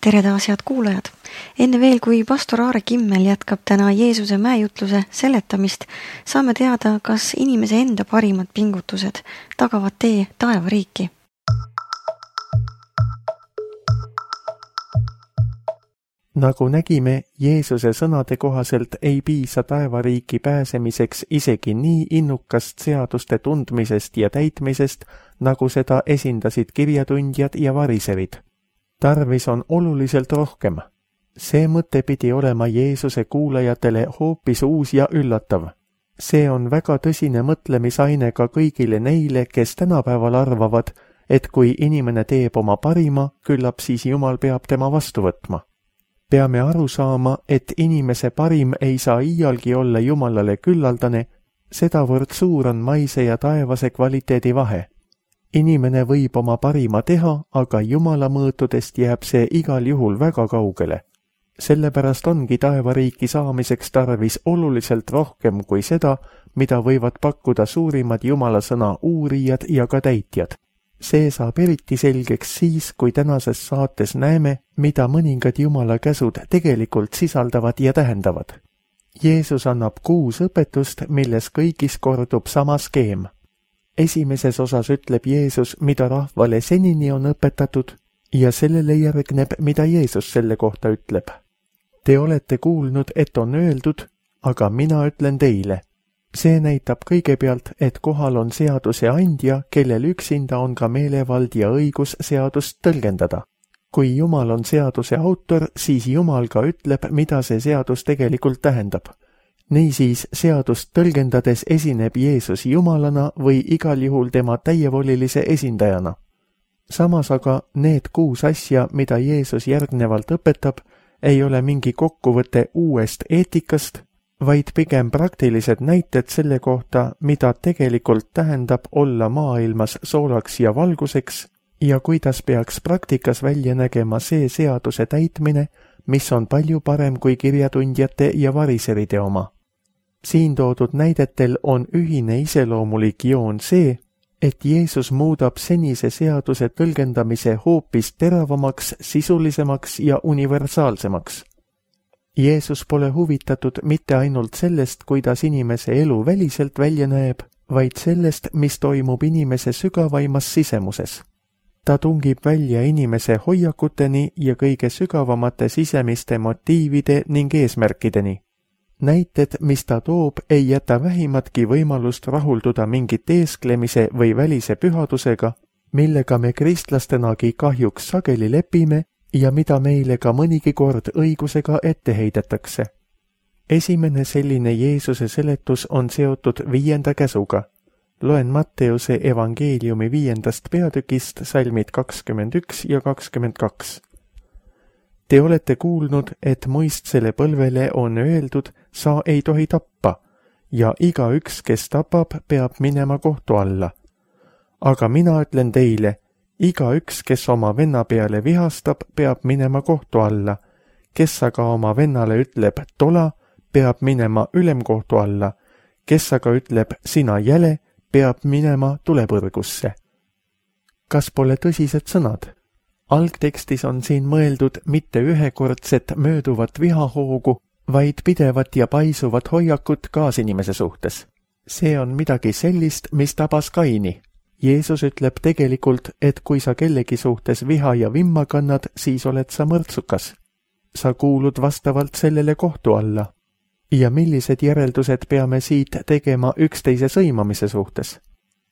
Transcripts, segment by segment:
Tere taas, head kuulajad! Enne veel, kui pastor Aare Kimmel jätkab täna Jeesuse mäejutluse seletamist, saame teada, kas inimese enda parimad pingutused tagavad tee taevariiki. Nagu nägime, Jeesuse sõnade kohaselt ei piisa taevariiki pääsemiseks isegi nii innukast seaduste tundmisest ja täitmisest, nagu seda esindasid kirjatundjad ja variserid. Tarvis on oluliselt rohkem. See mõte pidi olema Jeesuse kuulajatele hoopis uus ja üllatav. See on väga tõsine mõtlemisaine ka kõigile neile, kes tänapäeval arvavad, et kui inimene teeb oma parima, küllap siis Jumal peab tema vastu võtma. Peame aru saama, et inimese parim ei saa iialgi olla Jumalale küllaldane, sedavõrd suur on maise ja taevase kvaliteedi vahe. Inimene võib oma parima teha, aga Jumala mõõtudest jääb see igal juhul väga kaugele. Sellepärast ongi taevariiki saamiseks tarvis oluliselt rohkem kui seda, mida võivad pakkuda suurimad Jumala sõna uurijad ja ka täitjad. See saab eriti selgeks siis, kui tänases saates näeme, mida mõningad Jumala käsud tegelikult sisaldavad ja tähendavad. Jeesus annab 6 õpetust, milles kõigis kordub sama skeem. Esimeses osas ütleb Jeesus, mida rahvale senini on õpetatud, ja sellele järgneb, mida Jeesus selle kohta ütleb. Te olete kuulnud, et on öeldud, aga mina ütlen teile. See näitab kõigepealt, et kohal on seaduse andja, kellel üksinda on ka meelevald ja õigus seadust tõlgendada. Kui Jumal on seaduse autor, siis Jumal ka ütleb, mida see seadus tegelikult tähendab. Niisiis seadust tõlgendades esineb Jeesus Jumalana või igal juhul tema täievolilise esindajana. Samas aga need 6 asja, mida Jeesus järgnevalt õpetab, ei ole mingi kokkuvõte uuest eetikast, vaid pigem praktilised näited selle kohta, mida tegelikult tähendab olla maailmas soolaks ja valguseks ja kuidas peaks praktikas välja nägema see seaduse täitmine, mis on palju parem kui kirjatundjate ja variseride oma. Siin toodud näidetel on ühine iseloomulik joon see, et Jeesus muudab senise seaduse tõlgendamise hoopis teravamaks, sisulisemaks ja universaalsemaks. Jeesus pole huvitatud mitte ainult sellest, kuidas inimese elu väliselt välja näeb, vaid sellest, mis toimub inimese sügavaimas sisemuses. Ta tungib välja inimese hoiakuteni ja kõige sügavamate sisemiste motiivide ning eesmärkideni. Näited, mis ta toob, ei jäta vähimatki võimalust rahulduda mingit eesklemise või välise pühadusega, millega me kristlastenagi kahjuks sageli lepime ja mida meile ka mõnigi kord õigusega ette heidetakse. Esimene selline Jeesuse seletus on seotud 5. käsuga. Loen Matteuse evangeeliumi 5. peatükist salmid 21 ja 22. Te olete kuulnud, et muistsele põlvele on öeldud, sa ei tohi tappa, ja igaüks, kes tapab, peab minema kohtu alla. Aga mina ütlen teile, igaüks, kes oma venna peale vihastab, peab minema kohtu alla. Kes aga oma vennale ütleb tola, peab minema ülemkohtu alla. Kes aga ütleb sina jäle, peab minema tulepõrgusse. Kas pole tõsised sõnad? Algtekstis on siin mõeldud mitte ühekordset mööduvat vihahoogu, vaid pidevat ja paisuvat hoiakut kaasinimese suhtes. See on midagi sellist, mis tabas Kaini. Jeesus ütleb tegelikult, et kui sa kellegi suhtes viha ja vimma kannad, siis oled sa mõrtsukas. Sa kuulud vastavalt sellele kohtu alla. Ja millised järeldused peame siit tegema üksteise sõimamise suhtes?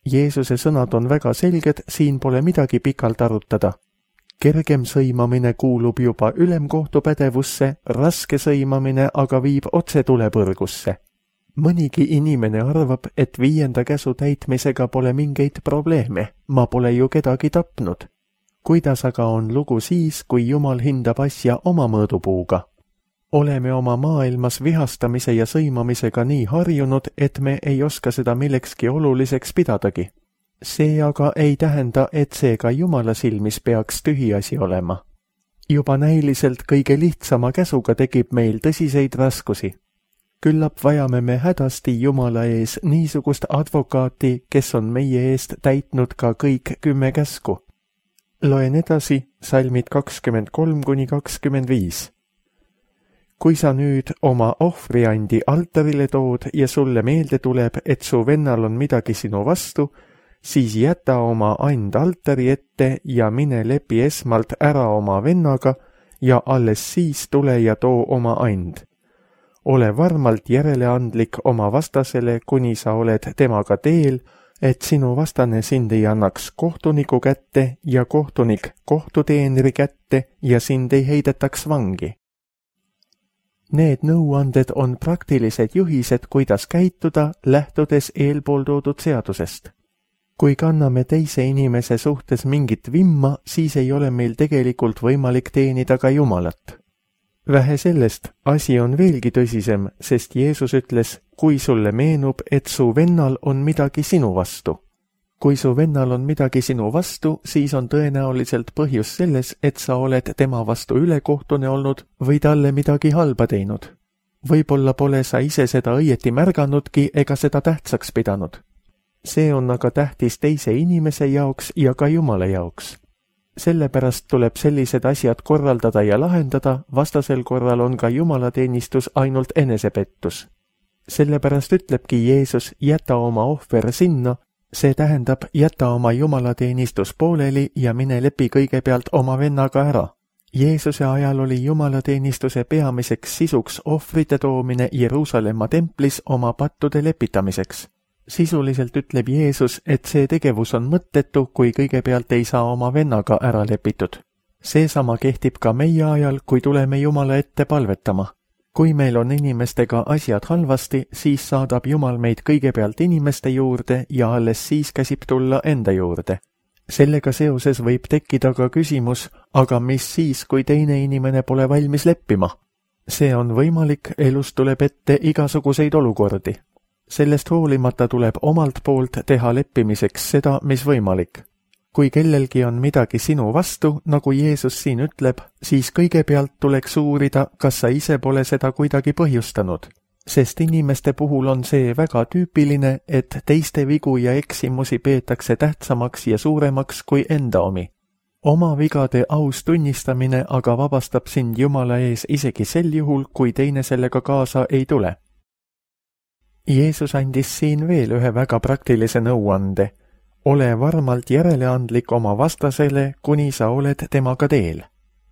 Jeesuse sõnad on väga selged, siin pole midagi pikalt arutada. Kergem sõimamine kuulub juba ülemkohtu pädevusse, raske sõimamine aga viib otse tulepõrgusse. Mõnigi inimene arvab, et 5. käsu täitmisega pole mingeid probleeme, ma pole ju kedagi tapnud. Kuidas aga on lugu siis, kui Jumal hindab asja oma mõõdupuuga? Oleme oma maailmas vihastamise ja sõimamisega nii harjunud, et me ei oska seda millekski oluliseks pidadagi. See aga ei tähenda, et see ka Jumala silmis peaks tühiasi olema. Juba näiliselt kõige lihtsama käsuga tekib meil tõsiseid raskusi. Küllap vajame me hädasti Jumala ees niisugust advokaati, kes on meie eest täitnud ka kõik 10 käsku. Loen edasi salmid 23–25. Kui sa nüüd oma ohvriandi altarile tood ja sulle meelde tuleb, et su vennal on midagi sinu vastu, siis jäta oma and altari ette ja mine lepi esmalt ära oma vennaga ja alles siis tule ja too oma and. Ole varmalt järeleandlik oma vastasele, kuni sa oled temaga teel, et sinu vastane sind ei annaks kohtuniku kätte ja kohtunik kohtuteenri kätte ja sind ei heidetaks vangi. Need nõuanded on praktilised juhised, kuidas käituda, lähtudes eelpool toodud seadusest. Kui kanname teise inimese suhtes mingit vimma, siis ei ole meil tegelikult võimalik teenida ka Jumalat. Vähe sellest, asi on veelgi tõsisem, sest Jeesus ütles, kui sulle meenub, et su vennal on midagi sinu vastu. Kui su vennal on midagi sinu vastu, siis on tõenäoliselt põhjus selles, et sa oled tema vastu ülekohtune olnud või talle midagi halba teinud. Võib-olla pole sa ise seda õieti märganudki ega seda tähtsaks pidanud. See on aga tähtis teise inimese jaoks ja ka Jumala jaoks. Sellepärast tuleb sellised asjad korraldada ja lahendada, vastasel korral on ka jumalateenistus ainult enesepettus. Sellepärast ütlebki Jeesus, jäta oma ohver sinna, see tähendab, jäta oma jumalateenistus pooleli ja mine lepi kõigepealt oma vennaga ära. Jeesuse ajal oli jumalateenistuse peamiseks sisuks ohvrite toomine Jeruusalemma templis oma pattude lepitamiseks. Sisuliselt ütleb Jeesus, et see tegevus on mõttetu, kui kõigepealt ei saa oma vennaga ära lepitud. Seesama kehtib ka meie ajal, kui tuleme Jumala ette palvetama. Kui meil on inimestega asjad halvasti, siis saadab Jumal meid kõigepealt inimeste juurde ja alles siis käsib tulla enda juurde. Sellega seoses võib tekkida ka küsimus, aga mis siis, kui teine inimene pole valmis leppima? See on võimalik, elus tuleb ette igasuguseid olukordi. Sellest hoolimata tuleb omalt poolt teha leppimiseks seda, mis võimalik. Kui kellelgi on midagi sinu vastu, nagu Jeesus siin ütleb, siis kõigepealt tuleks uurida, kas sa ise pole seda kuidagi põhjustanud. Sest inimeste puhul on see väga tüüpiline, et teiste vigu ja eksimusi peetakse tähtsamaks ja suuremaks kui enda omi. Oma vigade aus tunnistamine aga vabastab sind Jumala ees isegi sel juhul, kui teine sellega kaasa ei tule. Jeesus andis siin veel ühe väga praktilise nõuande. Ole varmalt järeleandlik oma vastasele, kuni sa oled temaga teel.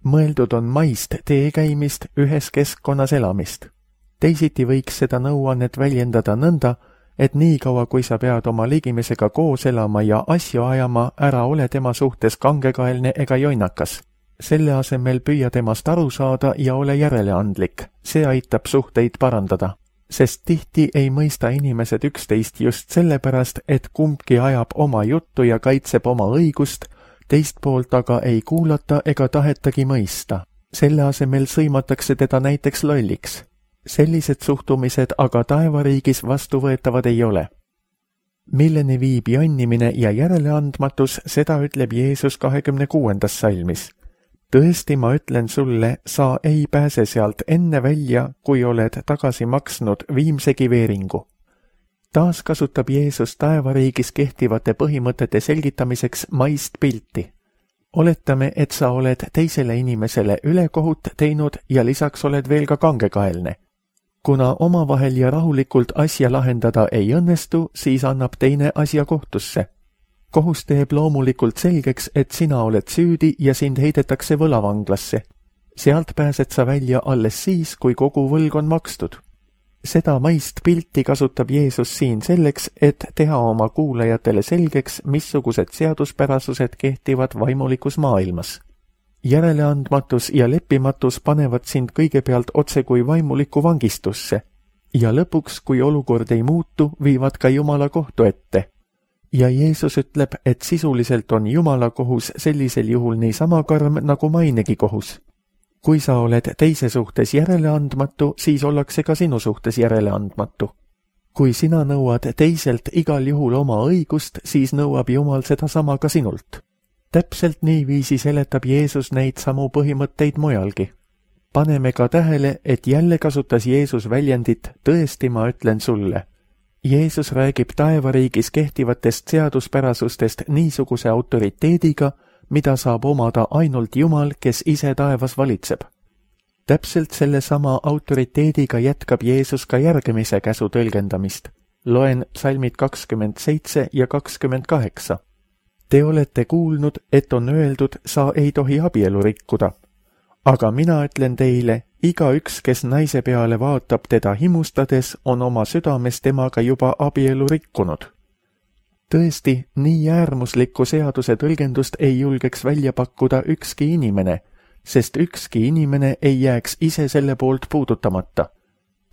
Mõeldud on maist tee käimist, ühes keskkonnas elamist. Teisiti võiks seda nõuannet väljendada nõnda, et niikaua kui sa pead oma ligimesega koos elama ja asju ajama, ära ole tema suhtes kangekaelne ega jonnakas. Selle asemel püüa temast aru saada ja ole järeleandlik. See aitab suhteid parandada. Sest tihti ei mõista inimesed üksteist just sellepärast, et kumbki ajab oma juttu ja kaitseb oma õigust, teist poolt aga ei kuulata ega tahetagi mõista. Selle asemel sõimatakse teda näiteks lolliks. Sellised suhtumised aga taevariigis vastuvõetavad ei ole. Milleni viib jonnimine ja järeleandmatus, seda ütleb Jeesus 26. salmis. Tõesti, ma ütlen sulle, sa ei pääse sealt enne välja, kui oled tagasi maksnud viimsegi veeringu. Taas kasutab Jeesus taevariigis kehtivate põhimõtete selgitamiseks maist pilti. Oletame, et sa oled teisele inimesele ülekohut teinud ja lisaks oled veel ka kangekaelne. Kuna omavahel ja rahulikult asja lahendada ei õnnestu, siis annab teine asja kohtusse. Kohus teeb loomulikult selgeks, et sina oled süüdi ja sind heidetakse võlavanglasse. Sealt pääsed sa välja alles siis, kui kogu võlg on makstud. Seda maist pilti kasutab Jeesus siin selleks, et teha oma kuulajatele selgeks, missugused seaduspärasused kehtivad vaimulikus maailmas. Järeleandmatus ja leppimatus panevad sind kõigepealt otse kui vaimuliku vangistusse ja lõpuks, kui olukord ei muutu, viivad ka Jumala kohtu ette. Ja Jeesus ütleb, et sisuliselt on Jumala kohus sellisel juhul niisama karm nagu mainegi kohus. Kui sa oled teise suhtes järeleandmatu, siis ollakse ka sinu suhtes järeleandmatu. Kui sina nõuad teiselt igal juhul oma õigust, siis nõuab Jumal seda sama ka sinult. Täpselt niiviisi seletab Jeesus neid samu põhimõtteid mujalgi. Paneme ka tähele, et jälle kasutas Jeesus väljendit tõesti, ma ütlen sulle. Jeesus räägib taevariigis kehtivatest seaduspärasustest niisuguse autoriteediga, mida saab omada ainult Jumal, kes ise taevas valitseb. Täpselt sellesama autoriteediga jätkab Jeesus ka järgmise käsu tõlgendamist. Loen psalmid 27 ja 28. Te olete kuulnud, et on öeldud, sa ei tohi abielu rikkuda. Aga mina ütlen teile, igaüks, kes naise peale vaatab teda himustades, on oma südames temaga juba abielu rikkunud. Tõesti, nii äärmuslikku seaduse tõlgendust ei julgeks välja pakkuda ükski inimene, sest ükski inimene ei jääks ise selle poolt puudutamata.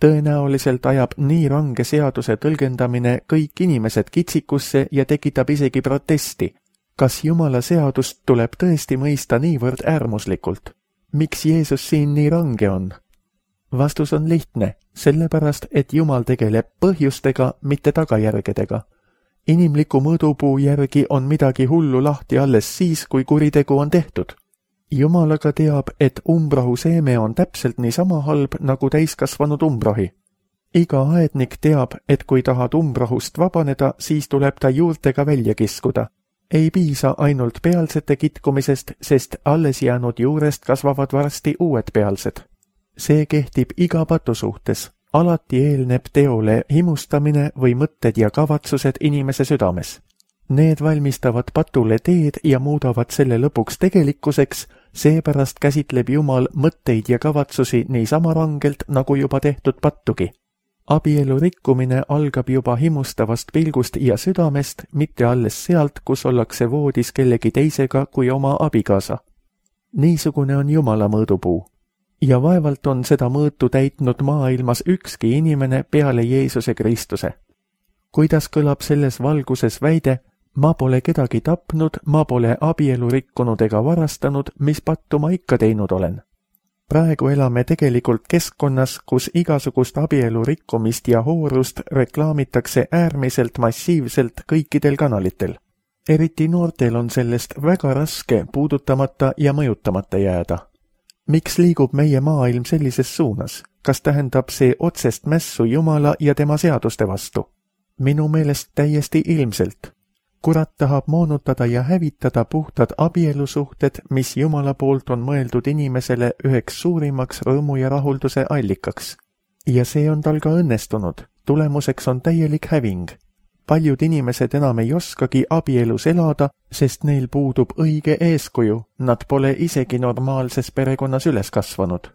Tõenäoliselt ajab nii range seaduse tõlgendamine kõik inimesed kitsikusse ja tekitab isegi protesti. Kas Jumala seadust tuleb tõesti mõista niivõrd äärmuslikult? Miks Jeesus siin nii range on? Vastus on lihtne, sellepärast, et Jumal tegeleb põhjustega, mitte tagajärgedega. Inimliku mõõdupuu järgi on midagi hullu lahti alles siis, kui kuritegu on tehtud. Jumal aga teab, et umbrohu seeme on täpselt niisama halb nagu täiskasvanud umbrohi. Iga aednik teab, et kui tahad umbrohust vabaneda, siis tuleb ta juurtega välja kiskuda. Ei piisa ainult pealsete kitkumisest, sest alles jäänud juurest kasvavad varsti uued pealsed. See kehtib iga patu suhtes. Alati eelneb teole himustamine või mõtted ja kavatsused inimese südames. Need valmistavad patule teed ja muudavad selle lõpuks tegelikkuseks, seepärast käsitleb Jumal mõtteid ja kavatsusi niisama rangelt, nagu juba tehtud pattugi. Abielu rikkumine algab juba himustavast pilgust ja südamest, mitte alles sealt, kus ollakse voodis kellegi teisega kui oma abikaasa. Niisugune on Jumala mõõdupuu. Ja vaevalt on seda mõõtu täitnud maailmas ükski inimene peale Jeesuse Kristuse. Kuidas kõlab selles valguses väide, ma pole kedagi tapnud, ma pole abielu rikkunud ega varastanud, mis pattu ma ikka teinud olen. Praegu elame tegelikult keskkonnas, kus igasugust abielu rikkumist ja hoorust reklaamitakse äärmiselt massiivselt kõikidel kanalitel. Eriti noortel on sellest väga raske puudutamata ja mõjutamata jääda. Miks liigub meie maailm sellises suunas? Kas tähendab see otsest mässu Jumala ja tema seaduste vastu? Minu meelest täiesti ilmselt. Kurat tahab moonutada ja hävitada puhtad abielusuhted, mis Jumala poolt on mõeldud inimesele üheks suurimaks rõõmu ja rahulduse allikaks. Ja see on tal ka õnnestunud. Tulemuseks on täielik häving. Paljud inimesed enam ei oskagi abielus elada, sest neil puudub õige eeskuju, nad pole isegi normaalses perekonnas üles kasvanud.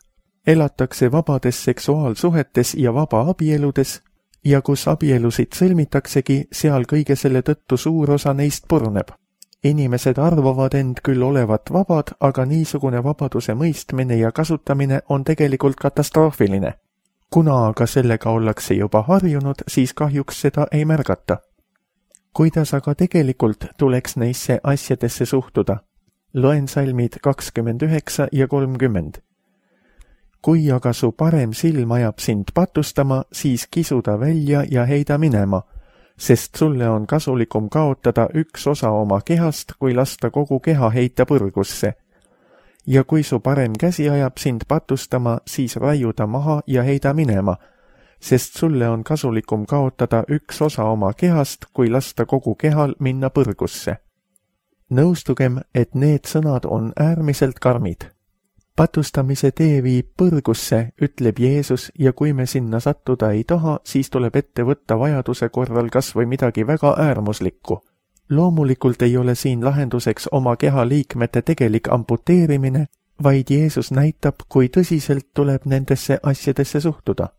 Elatakse vabades seksuaalsuhetes ja vaba abieludes, ja kus abielusid sõlmitaksegi, seal kõige selle tõttu suur osa neist purneb. Inimesed arvavad end küll olevat vabad, aga niisugune vabaduse mõistmine ja kasutamine on tegelikult katastroofiline. Kuna aga sellega ollakse juba harjunud, siis kahjuks seda ei märgata. Kuidas aga tegelikult tuleks neisse asjadesse suhtuda? Loen salmid 29 ja 30. Kui aga su parem silm ajab sind patustama, siis kisu ta välja ja heida minema, sest sulle on kasulikum kaotada üks osa oma kehast, kui lasta kogu keha heita põrgusse. Ja kui su parem käsi ajab sind patustama, siis raiu ta maha ja heida minema, sest sulle on kasulikum kaotada üks osa oma kehast, kui lasta kogu kehal minna põrgusse. Nõustugem, et need sõnad on äärmiselt karmid. Patustamise tee viib põrgusse, ütleb Jeesus, ja kui me sinna sattuda ei taha, siis tuleb ette võtta vajaduse korral kas või midagi väga äärmuslikku. Loomulikult ei ole siin lahenduseks oma keha liikmete tegelik amputeerimine, vaid Jeesus näitab, kui tõsiselt tuleb nendesse asjadesse suhtuda.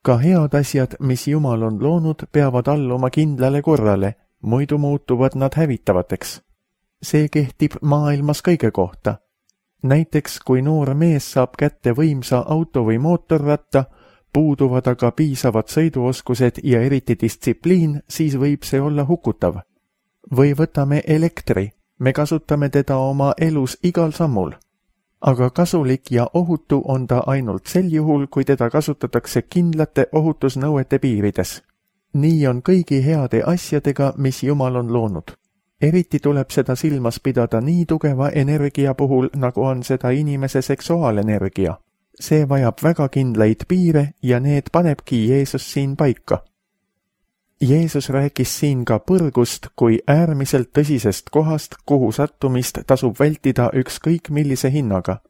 Ka head asjad, mis Jumal on loonud, peavad alluma kindlale korrale, muidu muutuvad nad hävitavateks. See kehtib maailmas kõige kohta. Näiteks, kui noor mees saab kätte võimsa auto või mootorratta, puuduvad aga piisavad sõiduoskused ja eriti distsipliin, siis võib see olla hukutav. Või võtame elektri, me kasutame teda oma elus igal sammul. Aga kasulik ja ohutu on ta ainult sel juhul, kui teda kasutatakse kindlate ohutusnõuete piirides. Nii on kõigi heade asjadega, mis Jumal on loonud. Eriti tuleb seda silmas pidada nii tugeva energia puhul, nagu on seda inimese seksuaalenergia. See vajab väga kindlaid piire ja need panebki Jeesus siin paika. Jeesus rääkis siin ka põrgust kui äärmiselt tõsisest kohast, kuhu sattumist tasub vältida ükskõik millise hinnaga.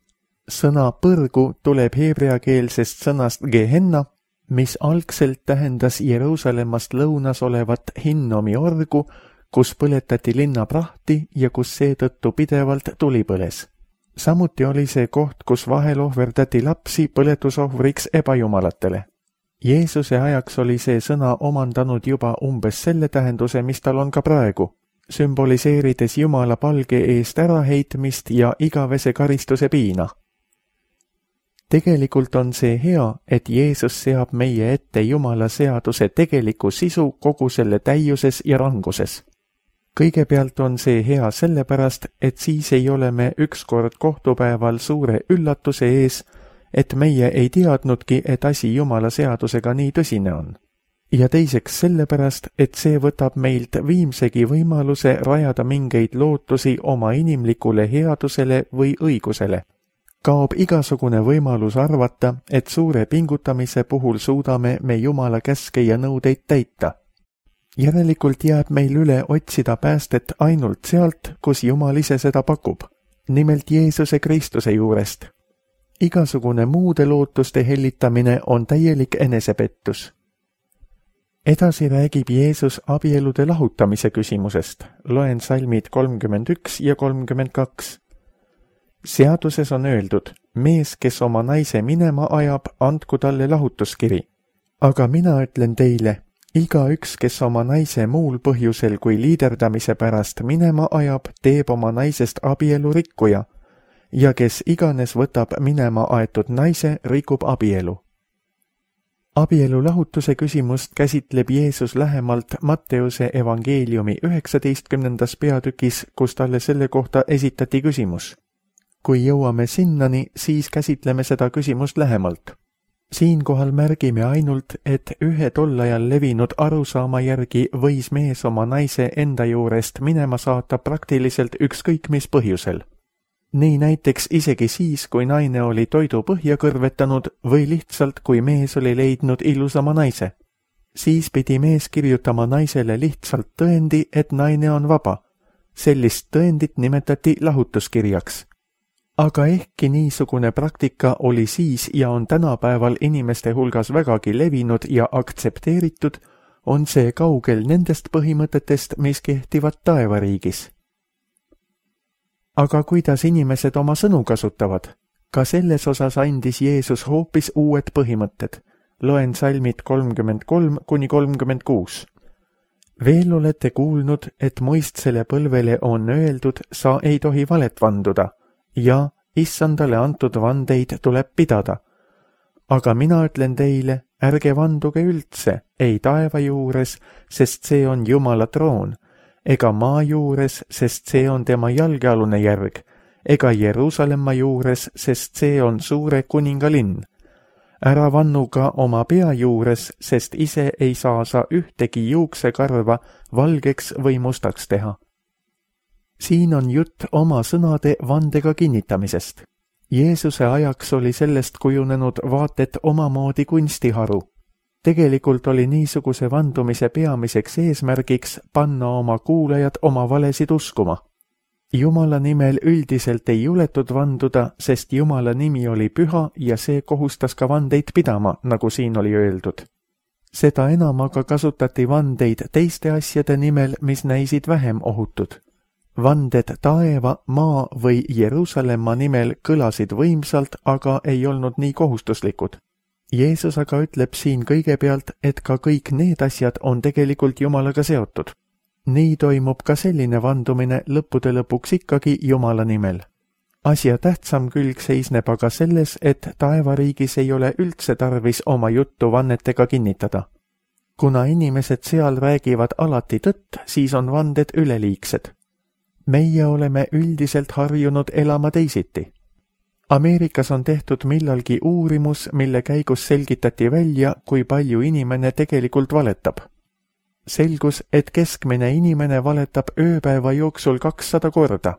Sõna põrgu tuleb heebreakeelsest sõnast Gehenna, mis algselt tähendas Jeruusalemmast lõunas olevat Hinnomi orgu, kus põletati linna prahti ja kus seetõttu pidevalt tuli põles. Samuti oli see koht, kus vahel ohverdati lapsi põletusohvriks ebajumalatele. Jeesuse ajaks oli see sõna omandanud juba umbes selle tähenduse, mis tal on ka praegu, sümboliseerides Jumala palge eest äraheitmist ja igavese karistuse piina. Tegelikult on see hea, et Jeesus seab meie ette Jumala seaduse tegeliku sisu kogu selle täiuses ja ranguses. Kõigepealt on see hea sellepärast, et siis ei ole me ükskord kohtupäeval suure üllatuse ees, et meie ei teadnudki, et asi Jumala seadusega nii tõsine on. Ja teiseks sellepärast, et see võtab meilt viimsegi võimaluse rajada mingeid lootusi oma inimlikule headusele või õigusele. Kaob igasugune võimalus arvata, et suure pingutamise puhul suudame me Jumala käske ja nõudeid täita. Järelikult jääb meil üle otsida päästet ainult sealt, kus Jumal ise seda pakub, nimelt Jeesuse Kristuse juurest. Igasugune muude lootuste hellitamine on täielik enesepettus. Edasi räägib Jeesus abielude lahutamise küsimusest. Loen salmid 31 ja 32. Seaduses on öeldud, mees, kes oma naise minema ajab, andku talle lahutuskiri. Aga mina ütlen teile, igaüks, kes oma naise muul põhjusel kui liiderdamise pärast minema ajab, teeb oma naisest abielu rikkuja, ja kes iganes võtab minema aetud naise, rikub abielu. Abielu lahutuse küsimust käsitleb Jeesus lähemalt Matteuse evangeeliumi 19. peatükis, kus talle selle kohta esitati küsimus. Kui jõuame sinnani, siis käsitleme seda küsimust lähemalt. Siinkohal märgime ainult, et ühe tol ajal levinud arusaama järgi võis mees oma naise enda juurest minema saata praktiliselt ükskõik mis põhjusel. Nii näiteks isegi siis, kui naine oli toidu põhja kõrvetanud või lihtsalt, kui mees oli leidnud ilusama naise. Siis pidi mees kirjutama naisele lihtsalt tõendi, et naine on vaba. Sellist tõendit nimetati lahutuskirjaks. Aga ehkki niisugune praktika oli siis ja on tänapäeval inimeste hulgas vägagi levinud ja aktsepteeritud, on see kaugel nendest põhimõtetest, mis kehtivad taevariigis. Aga kuidas inimesed oma sõnu kasutavad? Ka selles osas andis Jeesus hoopis uued põhimõtted. Loen salmid 33–36. Veel olete kuulnud, et muistsele põlvele on öeldud, sa ei tohi valet vanduda, ja issandale antud vandeid tuleb pidada. Aga mina ütlen teile, ärge vanduge üldse, ei taeva juures, sest see on Jumala troon, ega maa juures, sest see on tema jalgealune järg, ega Jeruusalemma juures, sest see on suure kuninga linn. Ära vannu ka oma pea juures, sest ise ei saa sa ühtegi juuksekarva valgeks või mustaks teha. Siin on jutt oma sõnade vandega kinnitamisest. Jeesuse ajaks oli sellest kujunenud vaatet omamoodi kunstiharu. Tegelikult oli niisuguse vandumise peamiseks eesmärgiks panna oma kuulajad oma valesid uskuma. Jumala nimel üldiselt ei juletud vanduda, sest Jumala nimi oli püha ja see kohustas ka vandeid pidama, nagu siin oli öeldud. Seda enam aga kasutati vandeid teiste asjade nimel, mis näisid vähem ohutud. Vanded taeva, maa või Jeruusalemma nimel kõlasid võimsalt, aga ei olnud nii kohustuslikud. Jeesus aga ütleb siin kõigepealt, et ka kõik need asjad on tegelikult Jumalaga seotud. Nii toimub ka selline vandumine lõppude lõpuks ikkagi Jumala nimel. Asja tähtsam külg seisneb aga selles, et taevariigis ei ole üldse tarvis oma juttu vannetega kinnitada. Kuna inimesed seal räägivad alati tõtt, siis on vanded üleliigsed. Meie oleme üldiselt harjunud elama teisiti. Ameerikas on tehtud millalgi uurimus, mille käigus selgitati välja, kui palju inimene tegelikult valetab. Selgus, et keskmine inimene valetab ööpäeva jooksul 200 korda.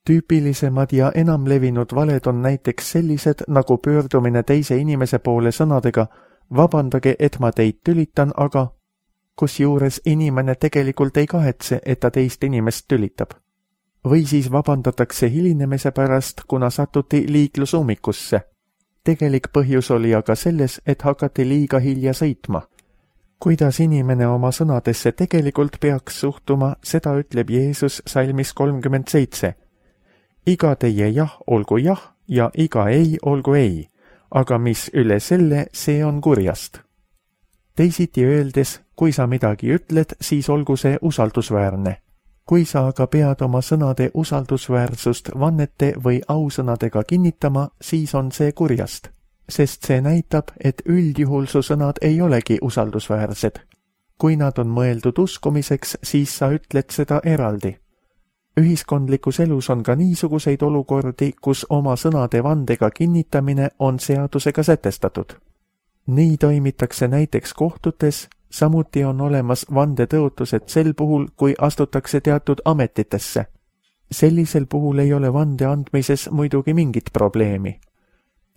Tüüpilisemad ja enamlevinud valed on näiteks sellised, nagu pöördumine teise inimese poole sõnadega, vabandage, et ma teid tülitan, aga kusjuures inimene tegelikult ei kahetse, et ta teist inimest tülitab. Või siis vabandatakse hilinemise pärast, kuna satuti liiklusummikusse. Tegelik põhjus oli aga selles, et hakati liiga hilja sõitma. Kuidas inimene oma sõnadesse tegelikult peaks suhtuma, seda ütleb Jeesus salmis 37. Iga teie jah olgu jah ja iga ei olgu ei, aga mis üle selle, see on kurjast. Teisiti öeldes, kui sa midagi ütled, siis olgu see usaldusväärne. Kui sa aga pead oma sõnade usaldusväärsust vannete või ausõnadega kinnitama, siis on see kurjast, sest see näitab, et üldjuhul su sõnad ei olegi usaldusväärsed. Kui nad on mõeldud uskumiseks, siis sa ütled seda eraldi. Ühiskondlikus elus on ka niisuguseid olukordi, kus oma sõnade vandega kinnitamine on seadusega sätestatud. Nii toimitakse näiteks kohtutes, samuti on olemas vandetõotused sel puhul, kui astutakse teatud ametitesse. Sellisel puhul ei ole vande andmises muidugi mingit probleemi.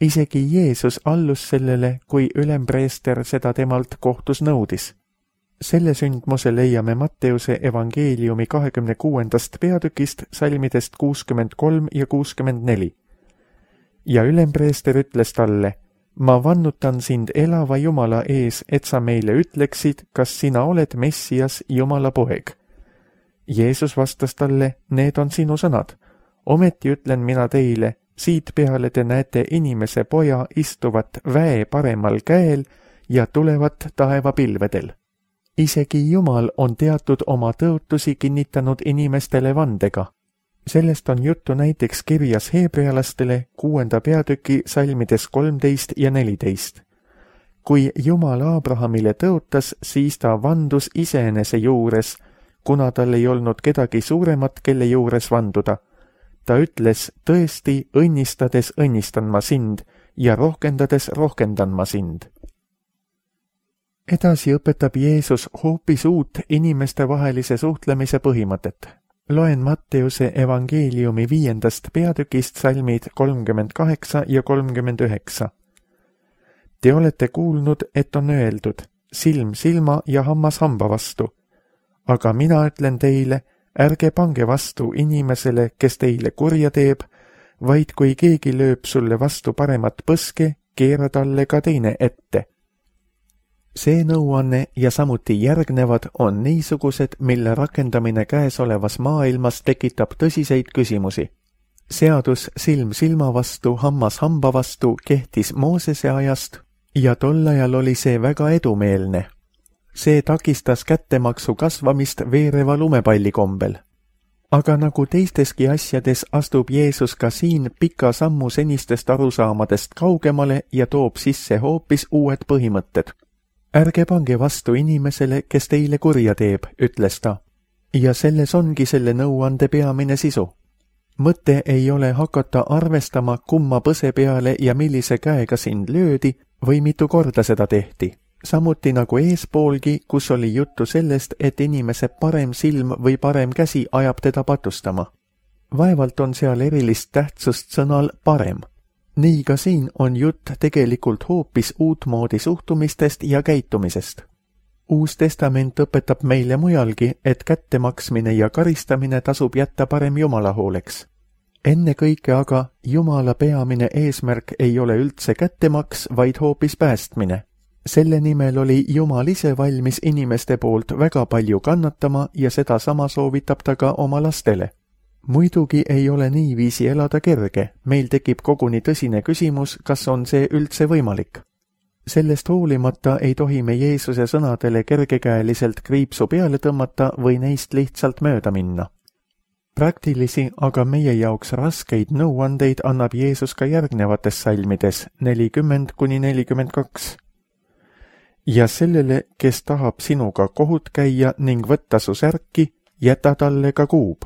Isegi Jeesus allus sellele, kui ülempreester seda temalt kohtus nõudis. Selle sündmuse leiame Matteuse evangeeliumi 26. peatükist salmidest 63 ja 64. Ja ülempreester ütles talle, ma vannutan sind elava Jumala ees, et sa meile ütleksid, kas sina oled Messias, Jumala poeg. Jeesus vastas talle, need on sinu sõnad. Ometi ütlen mina teile, siit peale te näete inimese poja istuvat väe paremal käel ja tulevat taevapilvedel. Isegi Jumal on teatud oma tõotusi kinnitanud inimestele vandega. Sellest on juttu näiteks kirjas heebrealastele 6. peatüki salmides 13 ja 14. Kui Jumal Abrahamile tõotas, siis ta vandus iseenese juures, kuna tal ei olnud kedagi suuremat, kelle juures vanduda. Ta ütles, tõesti, õnnistades õnnistan ma sind ja rohkendades rohkendan ma sind. Edasi õpetab Jeesus hoopis uut inimestevahelise suhtlemise põhimõtet. Loen Matteuse evangeeliumi 5. peatükist salmid 38 ja 39. Te olete kuulnud, et on öeldud, silm silma ja hammas hamba vastu. Aga mina ütlen teile, ärge pange vastu inimesele, kes teile kurja teeb, vaid kui keegi lööb sulle vastu paremat põske, keera talle ka teine ette. See nõuanne ja samuti järgnevad on niisugused, mille rakendamine käesolevas maailmas tekitab tõsiseid küsimusi. Seadus silm silma vastu, hammas hamba vastu kehtis Moosese ajast ja tol ajal oli see väga edumeelne. See takistas kättemaksu kasvamist veereva lumepalli kombel. Aga nagu teisteski asjades astub Jeesus ka siin pika sammu senistest arusaamadest kaugemale ja toob sisse hoopis uued põhimõtted. Ärge pange vastu inimesele, kes teile kurja teeb, ütles ta. Ja selles ongi selle nõuande peamine sisu. Mõte ei ole hakata arvestama, kumma põse peale ja millise käega sind löödi või mitu korda seda tehti. Samuti nagu eespoolgi, kus oli juttu sellest, et inimese parem silm või parem käsi ajab teda patustama. Vaevalt on seal erilist tähtsust sõnal parem. Nii ka siin on jutt tegelikult hoopis uutmoodi suhtumistest ja käitumisest. Uus testament õpetab meile mujalgi, et kättemaksmine ja karistamine tasub jätta parem Jumala hooleks. Enne kõike aga Jumala peamine eesmärk ei ole üldse kättemaks, vaid hoopis päästmine. Selle nimel oli Jumal ise valmis inimeste poolt väga palju kannatama ja seda sama soovitab ta ka oma lastele. Muidugi ei ole niiviisi elada kerge, meil tekib koguni tõsine küsimus, kas on see üldse võimalik. Sellest hoolimata ei tohi me Jeesuse sõnadele kergekäeliselt kriipsu peale tõmmata või neist lihtsalt mööda minna. Praktilisi, aga meie jaoks raskeid nõuandeid annab Jeesus ka järgnevates salmides 40-42. Ja sellele, kes tahab sinuga kohut käia ning võtta su särki, jäta talle ka kuub.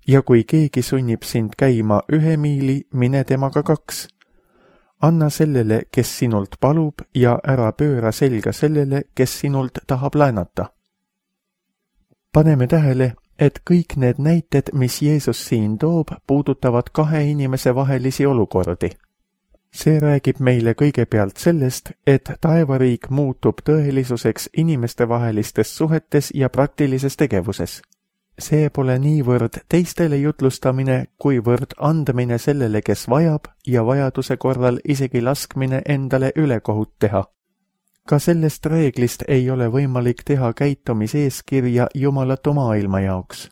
Ja kui keegi sunnib sind käima 1 miili, mine temaga 2. Anna sellele, kes sinult palub ja ära pööra selga sellele, kes sinult tahab laenata. Paneme tähele, et kõik need näited, mis Jeesus siin toob, puudutavad 2 inimese vahelisi olukordi. See räägib meile kõigepealt sellest, et taevariik muutub tõelisuseks inimestevahelistes suhetes ja praktilises tegevuses. See pole niivõrd teistele jutlustamine, kuivõrd andmine sellele, kes vajab ja vajaduse korral isegi laskmine endale ülekohut teha. Ka sellest reeglist ei ole võimalik teha käitumiseeskirja jumalatu maailma jaoks.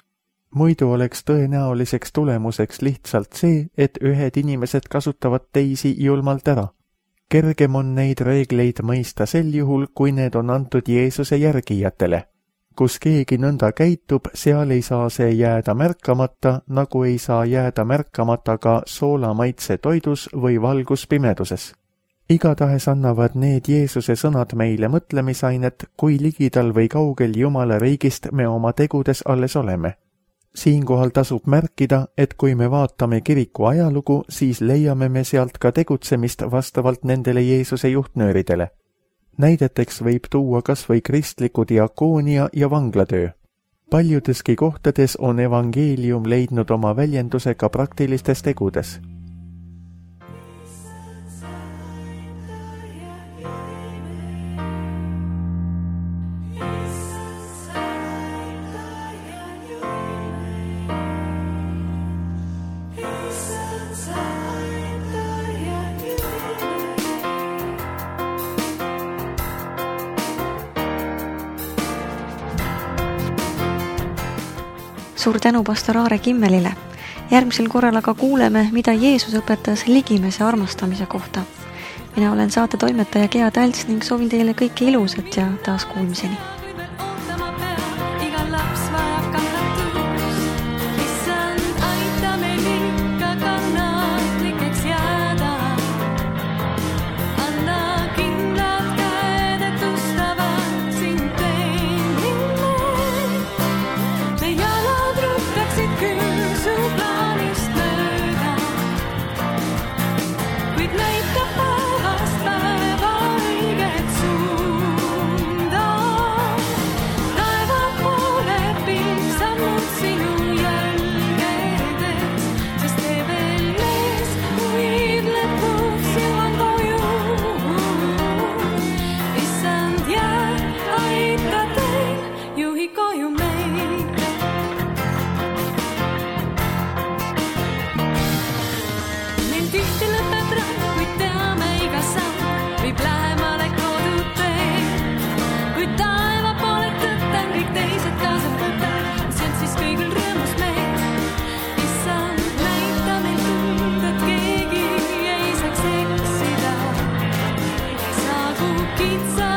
Muidu oleks tõenäoliseks tulemuseks lihtsalt see, et ühed inimesed kasutavad teisi julmalt ära. Kergem on neid reegleid mõista sel juhul, kui need on antud Jeesuse järgijatele. Kus keegi nõnda käitub, seal ei saa see jääda märkamata, nagu ei saa jääda märkamata ka soolamaitse toidus või valgus pimeduses. Igatahes annavad need Jeesuse sõnad meile mõtlemisainet, kui ligidal või kaugel Jumala riigist me oma tegudes alles oleme. Siinkohal tasub märkida, et kui me vaatame kiriku ajalugu, siis leiame me sealt ka tegutsemist vastavalt nendele Jeesuse juhtnööridele. Näideteks võib tuua kas või kristliku diakoonia ja vanglatöö. Paljudeski kohtades on evangeelium leidnud oma väljenduse ka praktilistes tegudes. Suur tänu pastor Aare Kimmelile. Järgmisel korral aga kuuleme, mida Jeesus õpetas ligimese armastamise kohta. Mina olen saate toimetaja Gea Tälts ning soovin teile kõike ilusat ja taas kuulmiseni. Pizza